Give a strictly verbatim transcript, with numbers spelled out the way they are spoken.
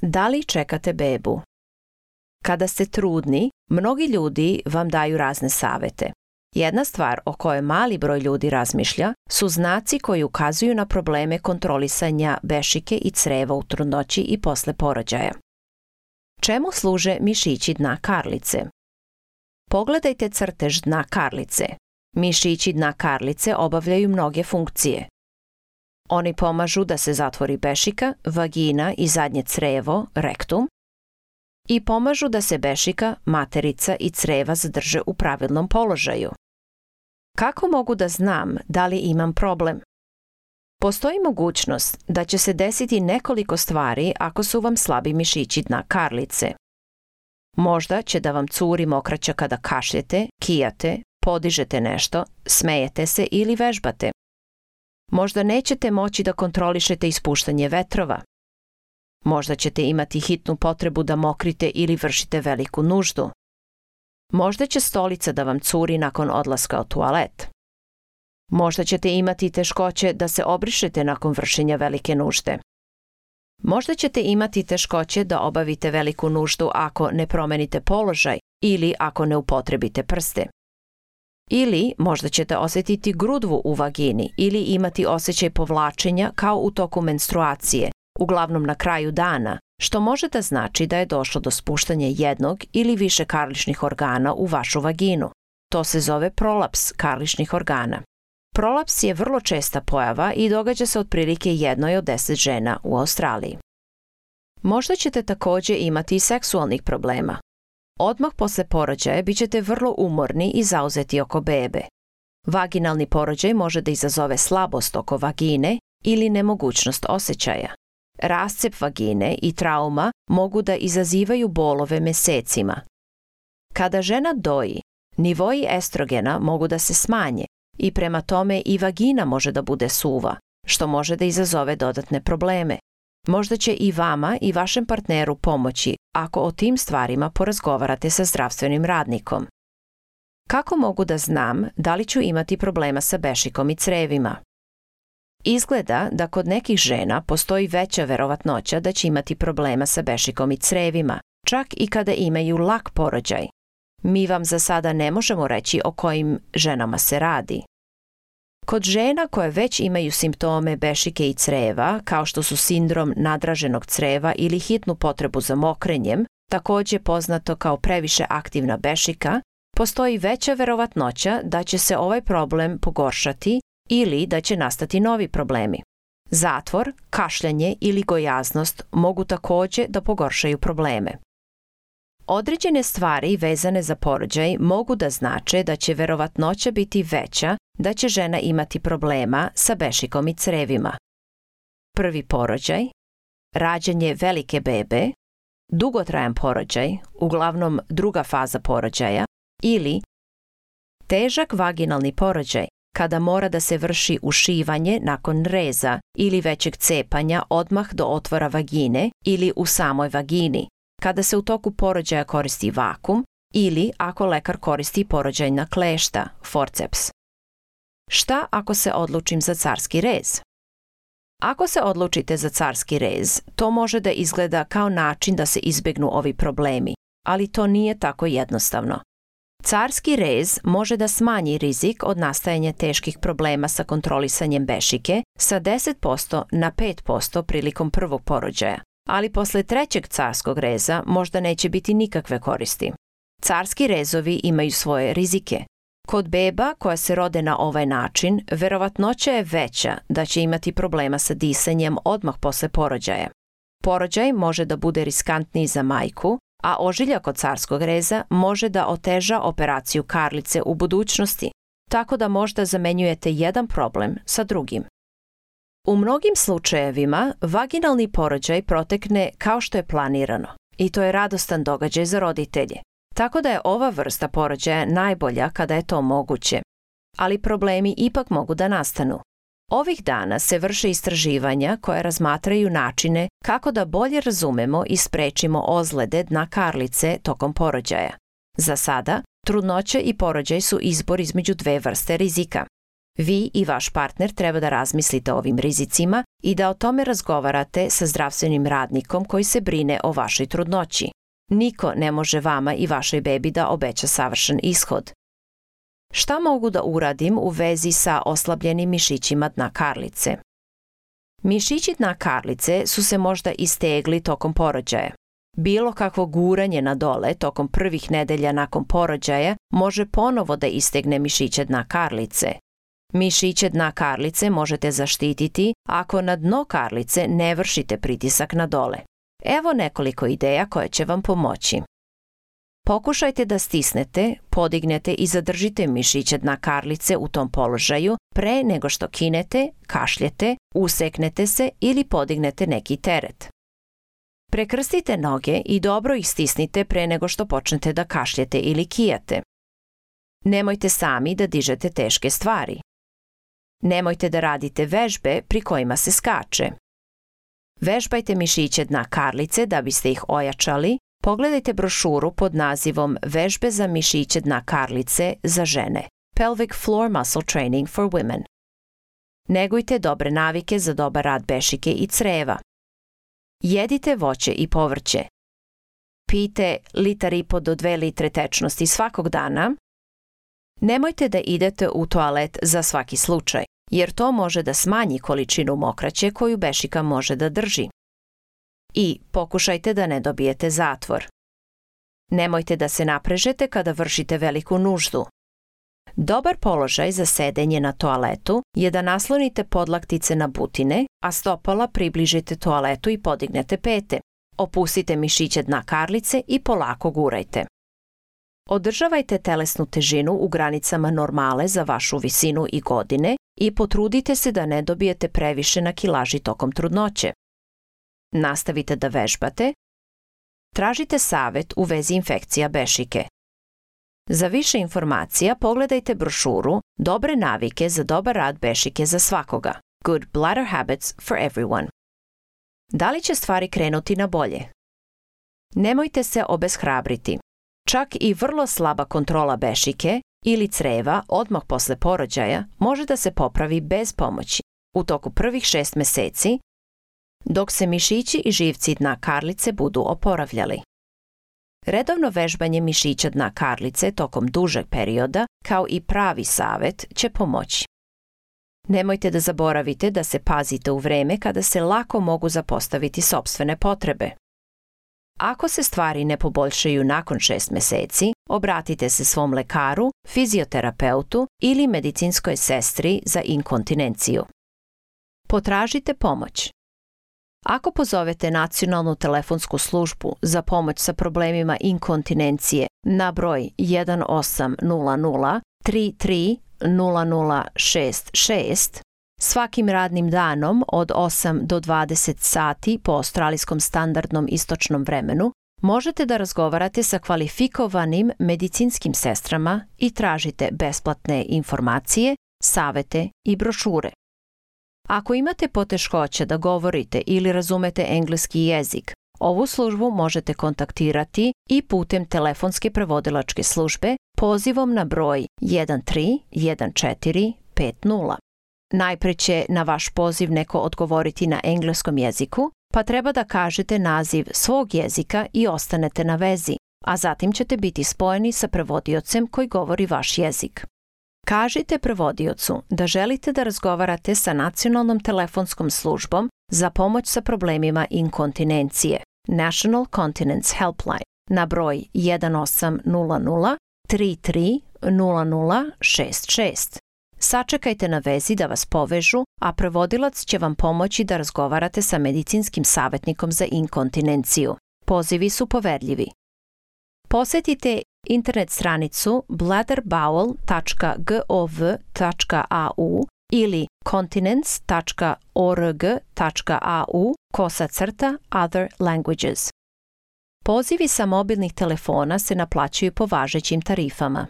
Da li čekate bebu? Kada ste trudni, mnogi ljudi vam daju razne savete. Jedna stvar o kojoj mali broj ljudi razmišlja su znaci koji ukazuju na probleme kontrolisanja bešike i creva u trudnoći i posle porođaja. Čemu služe mišići dna karlice? Pogledajte crtež dna karlice. Mišići dna karlice obavljaju mnoge funkcije. Oni pomažu da se zatvori bešika, vagina i zadnje crevo, rektum, i pomažu da se bešika, materica i creva zadrže u pravilnom položaju. Kako mogu da znam da li imam problem? Postoji mogućnost da će se desiti nekoliko stvari ako su vam slabi mišići dna karlice. Možda će da vam curi mokraća kada kašljete, kijate, podižete nešto, smejete se ili vežbate. Možda nećete moći da kontrolišete ispuštanje vetrova. Možda ćete imati hitnu potrebu da mokrite ili vršite veliku nuždu. Možda će stolica da vam curi nakon odlaska u toalet. Možda ćete imati teškoće da se obrišete nakon vršenja velike nužde. Možda ćete imati teškoće da obavite veliku nuždu ako ne promenite položaj ili ako ne upotrebite prste. Ili možda ćete osjetiti grudvu u vagini ili imati osjećaj povlačenja kao u toku menstruacije, uglavnom na kraju dana, što može da znači da je došlo do spuštanja jednog ili više karličnih organa u vašu vaginu. To se zove prolaps karličnih organa. Prolaps je vrlo česta pojava i događa se otprilike jednoj od deset žena u Australiji. Možda ćete također imati i seksualnih problema. Odmah posle porođaja bit ćete vrlo umorni i zauzeti oko bebe. Vaginalni porođaj može da izazove slabost oko vagine ili nemogućnost osjećaja. Rascep vagine i trauma mogu da izazivaju bolove mesecima. Kada žena doji, nivoi estrogena mogu da se smanje i prema tome i vagina može da bude suva, što može da izazove dodatne probleme. Možda će i vama i vašem partneru pomoći ako o tim stvarima porazgovarate sa zdravstvenim radnikom. Kako mogu da znam da li ću imati problema sa bešikom i crevima? Izgleda da kod nekih žena postoji veća verovatnoća da će imati problema sa bešikom i crevima, čak i kada imaju lak porođaj. Mi vam za sada ne možemo reći o kojim ženama se radi. Kod žena koje već imaju simptome bešike i creva, kao što su sindrom nadraženog creva ili hitnu potrebu za mokrenjem, također poznato kao previše aktivna bešika, postoji veća verovatnoća da će se ovaj problem pogoršati ili da će nastati novi problemi. Zatvor, kašljanje ili gojaznost mogu također da pogoršaju probleme. Određene stvari vezane za porođaj mogu da znače da će verovatnoća biti veća da će žena imati problema sa bešikom i crevima. Prvi porođaj, rađanje velike bebe, dugotrajan porođaj, uglavnom druga faza porođaja, ili težak vaginalni porođaj, kada mora da se vrši ušivanje nakon reza ili većeg cepanja odmah do otvora vagine ili u samoj vagini, kada se u toku porođaja koristi vakum ili ako lekar koristi porođajna klešta, forceps. Šta ako se odlučim za carski rez? Ako se odlučite za carski rez, to može da izgleda kao način da se izbegnu ovi problemi, ali to nije tako jednostavno. Carski rez može da smanji rizik od nastajanja teških problema sa kontrolisanjem bešike sa deset posto na pet posto prilikom prvog porođaja, ali posle trećeg carskog reza možda neće biti nikakve koristi. Carski rezovi imaju svoje rizike. Kod beba koja se rode na ovaj način, verovatnoća je veća da će imati problema sa disanjem odmah posle porođaja. Porođaj može da bude riskantniji za majku, a ožiljak od carskog reza može da oteža operaciju karlice u budućnosti, tako da možda zamenjujete jedan problem sa drugim. U mnogim slučajevima vaginalni porođaj protekne kao što je planirano i to je radostan događaj za roditelje, tako da je ova vrsta porođaja najbolja kada je to moguće, ali problemi ipak mogu da nastanu. Ovih dana se vrše istraživanja koje razmatraju načine kako da bolje razumemo i sprečimo ozlede dna karlice tokom porođaja. Za sada, trudnoća i porođaj su izbor između dve vrste rizika. Vi i vaš partner treba da razmislite o ovim rizicima i da o tome razgovarate sa zdravstvenim radnikom koji se brine o vašoj trudnoći. Niko ne može vama i vašoj bebi da obeća savršen ishod. Šta mogu da uradim u vezi sa oslabljenim mišićima dna karlice? Mišići dna karlice su se možda istegli tokom porođaja. Bilo kakvo guranje na dole tokom prvih nedelja nakon porođaja može ponovo da istegne mišiće dna karlice. Mišiće dna karlice možete zaštititi ako na dno karlice ne vršite pritisak na dole. Evo nekoliko ideja koje će vam pomoći. Pokušajte da stisnete, podignete i zadržite mišiće dna karlice u tom položaju pre nego što kinete, kašljete, useknete se ili podignete neki teret. Prekrstite noge i dobro ih stisnite pre nego što počnete da kašljete ili kijate. Nemojte sami da dižete teške stvari. Nemojte da radite vežbe pri kojima se skače. Vežbajte mišiće dna karlice da biste ih ojačali. Pogledajte brošuru pod nazivom Vežbe za mišiće dna karlice za žene. Pelvic Floor Muscle Training for Women. Negujte dobre navike za dobar rad bešike i creva. Jedite voće i povrće. Pijte litar i po do dve litre tečnosti svakog dana. Nemojte da idete u toalet za svaki slučaj, jer to može da smanji količinu mokraće koju bešika može da drži. I pokušajte da ne dobijete zatvor. Nemojte da se naprežete kada vršite veliku nuždu. Dobar položaj za sedenje na toaletu je da naslonite podlaktice na butine, a stopala približite toaletu i podignete pete. Opustite mišiće dna karlice i polako gurajte. Održavajte telesnu težinu u granicama normale za vašu visinu i godine i potrudite se da ne dobijete previše na kilaži tokom trudnoće. Nastavite da vežbate. Tražite savet u vezi infekcija bešike. Za više informacija pogledajte brošuru Dobre navike za dobar rad bešike za svakoga. Good bladder habits for everyone. Da li će stvari krenuti na bolje? Nemojte se obeshrabriti. Čak i vrlo slaba kontrola bešike ili creva odmah posle porođaja može da se popravi bez pomoći u toku prvih šest meseci, dok se mišići i živci dna karlice budu oporavljali. Redovno vežbanje mišića dna karlice tokom dužeg perioda, kao i pravi savet, će pomoći. Nemojte da zaboravite da se pazite u vreme kada se lako mogu zapostaviti sopstvene potrebe. Ako se stvari ne poboljšaju nakon šest meseci, obratite se svom lekaru, fizioterapeutu ili medicinskoj sestri za inkontinenciju. Potražite pomoć. Ako pozovete nacionalnu telefonsku službu za pomoć sa problemima inkontinencije na broj jedan osam nula nula tri tri nula nula šest šest, svakim radnim danom od osam do dvadeset sati po australijskom standardnom istočnom vremenu, možete da razgovarate sa kvalifikovanim medicinskim sestrama i tražite besplatne informacije, savete i brošure. Ako imate poteškoće da govorite ili razumete engleski jezik, ovu službu možete kontaktirati i putem telefonske prevodilačke službe pozivom na broj jedan tri jedan četiri pet nula. Najpre će na vaš poziv neko odgovoriti na engleskom jeziku, pa treba da kažete naziv svog jezika i ostanete na vezi, a zatim ćete biti spojeni sa prevodiocem koji govori vaš jezik. Kažite prevodiocu da želite da razgovarate sa nacionalnom telefonskom službom za pomoć sa problemima inkontinencije, National Continence Helpline, na broj jedan osam nula nula tri tri nula nula šest šest. Sačekajte na vezi da vas povežu, a prevodilac će vam pomoći da razgovarate sa medicinskim savjetnikom za inkontinenciju. Pozivi su poverljivi. Posetite internet stranicu bladder bowel tačka gov tačka a u ili continence tačka org tačka a u kosa crta other languages. Pozivi sa mobilnih telefona se naplaćuju po važećim tarifama.